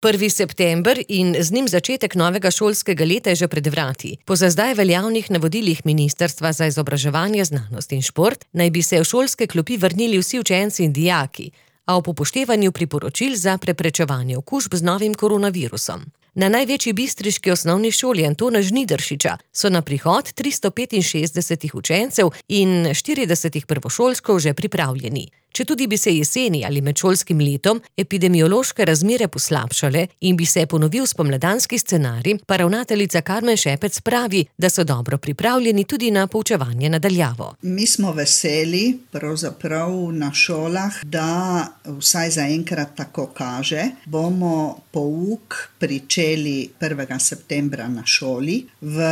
1. september in z njim začetek novega šolskega leta je že pred vrati. Po za zdaj veljavnih navodilih Ministrstva za izobraževanje, znanost in šport naj bi se v šolske klopi vrnili vsi učenci in dijaki, a ob upoštevanju priporočil za preprečevanje okužb z novim koronavirusom. Na največji bistriški osnovni šoli Antona Žnidaršiča so na prihod 365 učencev in 40 prvošolčkov že pripravljeni. Četudi bi se jeseni ali med šolskim letom epidemiološke razmere poslabšale in bi se ponovil spomladanski scenarij, pa ravnateljica Karmen Šepec pravi, da so dobro pripravljeni tudi na poučevanje na daljavo. Mi smo veseli, pravzaprav na šolah, da vsaj zaenkrat tako kaže, bomo pouk pričeli 1. septembra na šoli v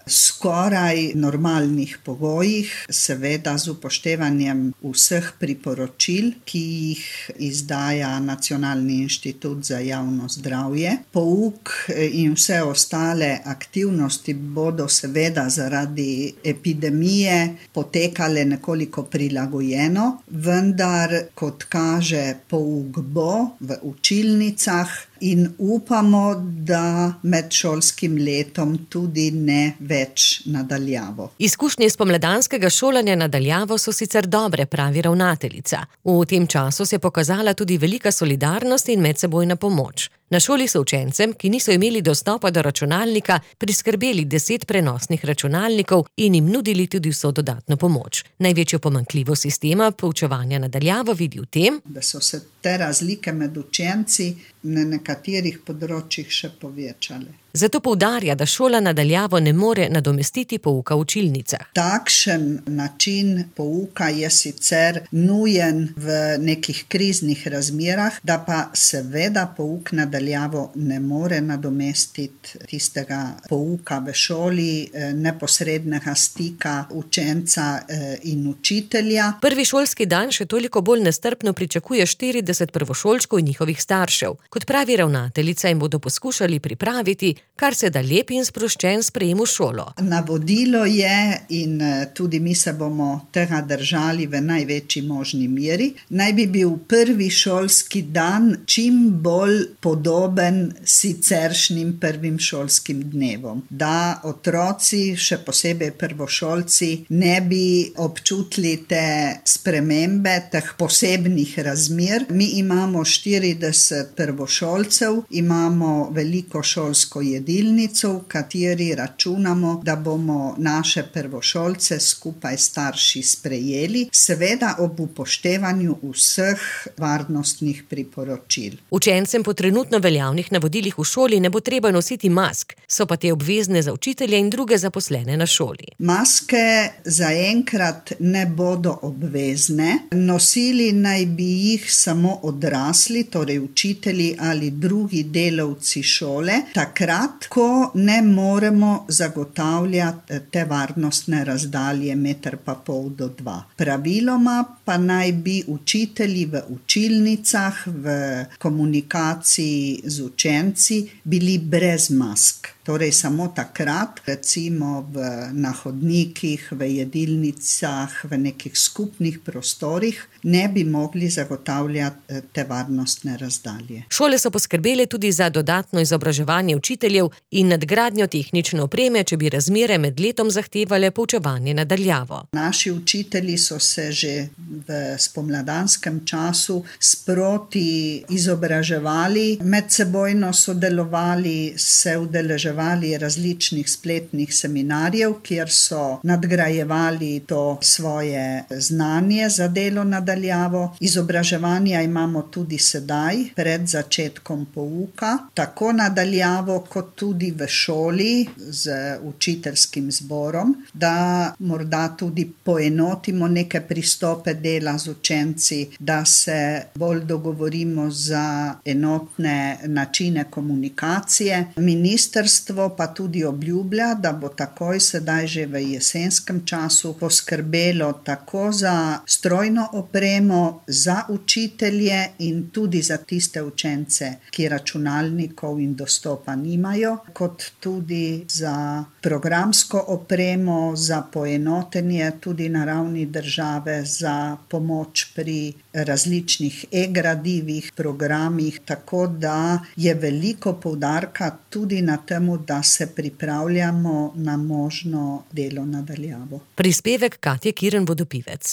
skoraj normalnih pogojih, seveda z upoštevanjem vseh priporočil, ki jih izdaja Nacionalni inštitut za javno zdravje. Pouk in vse ostale aktivnosti bodo seveda zaradi epidemije potekale nekoliko prilagojeno, vendar, kot kaže, pouk bo v učilnicah in upamo, da med šolskim letom tudi ne več na daljavo. Izkušnje spomladanskega šolanja na daljavo so sicer dobre, pravi ravnateljica. V tem času se je pokazala tudi velika solidarnost in medsebojna pomoč. Na šoli so učencem, ki niso imeli dostopa do računalnika, priskrbeli 10 prenosnih računalnikov in jim nudili tudi vso dodatno pomoč. Največjo pomanjkljivost sistema poučevanja na daljavo vidi v tem, da so se te razlike med učenci na nekaterih področjih še povečale. Zato poudarja, da šola na daljavo ne more nadomestiti pouka v učilnicah. Takšen način pouka je sicer nujen v nekih kriznih razmerah, da pa seveda pouk na daljavo ne more nadomestiti tistega pouka v šoli, neposrednega stika učenca in učitelja. Prvi šolski dan še toliko bolj nestrpno pričakuje 40 prvošolčkov in njihovih staršev. Kot pravi ravnateljica, jim bodo poskušali pripraviti kar se da lep in sproščen sprejem v šolo. Navodilo je, in tudi mi se bomo tega držali v največji možni meri, naj bi bil prvi šolski dan čim bolj podoben siceršnjim prvim šolskim dnevom. Da otroci, še posebej prvošolci, ne bi občutili te spremembe, teh posebnih razmer. Mi imamo 40 prvošolcev, imamo veliko šolsko jedilnico, v kateri računamo, da bomo naše prvošolce skupaj s starši sprejeli, seveda ob upoštevanju vseh varnostnih priporočil. Učencem po trenutno veljavnih navodilih v šoli ne bo treba nositi mask, so pa te obvezne za učitelje in druge zaposlene na šoli. Maske zaenkrat ne bodo obvezne, nosili naj bi jih samo odrasli, torej učitelji ali drugi delavci šole, takrat, ko ne moremo zagotavljati te varnostne razdalje 1,5 do 2. Praviloma pa naj bi učitelji v učilnicah, v komunikaciji z učenci bili brez mask. Torej samo takrat, recimo na hodnikih, v jedilnicah, v nekih skupnih prostorih, ne bi mogli zagotavljati te varnostne razdalje. Šole so poskrbele tudi za dodatno izobraževanje učiteljev in nadgradnjo tehnične opreme, če bi razmere med letom zahtevale poučevanje na daljavo. Naši učitelji so se že v spomladanskem času sproti izobraževali, medsebojno sodelovali, se udeleževali različnih spletnih seminarjev, kjer so nadgrajevali to svoje znanje za delo na daljavo. Izobraževanja imamo tudi sedaj, pred začetkom pouka, tako na daljavo, kot tudi v šoli z učiteljskim zborom, da morda tudi poenotimo neke pristope dela z učenci, da se bolj dogovorimo za enotne načine komunikacije. Ministrstvo ministrstvo pa tudi obljublja, da bo takoj sedaj že v jesenskem času poskrbelo tako za strojno opremo, za učitelje in tudi za tiste učence, ki računalnikov in dostopa nimajo, kot tudi za programsko opremo, za poenotenje tudi na ravni države, za pomoč pri različnih e-gradivih, programih, tako da je veliko poudarka tudi na temu, da se pripravljamo na možno delo na daljavo. Prispevek Katje Kirn Vodopivec.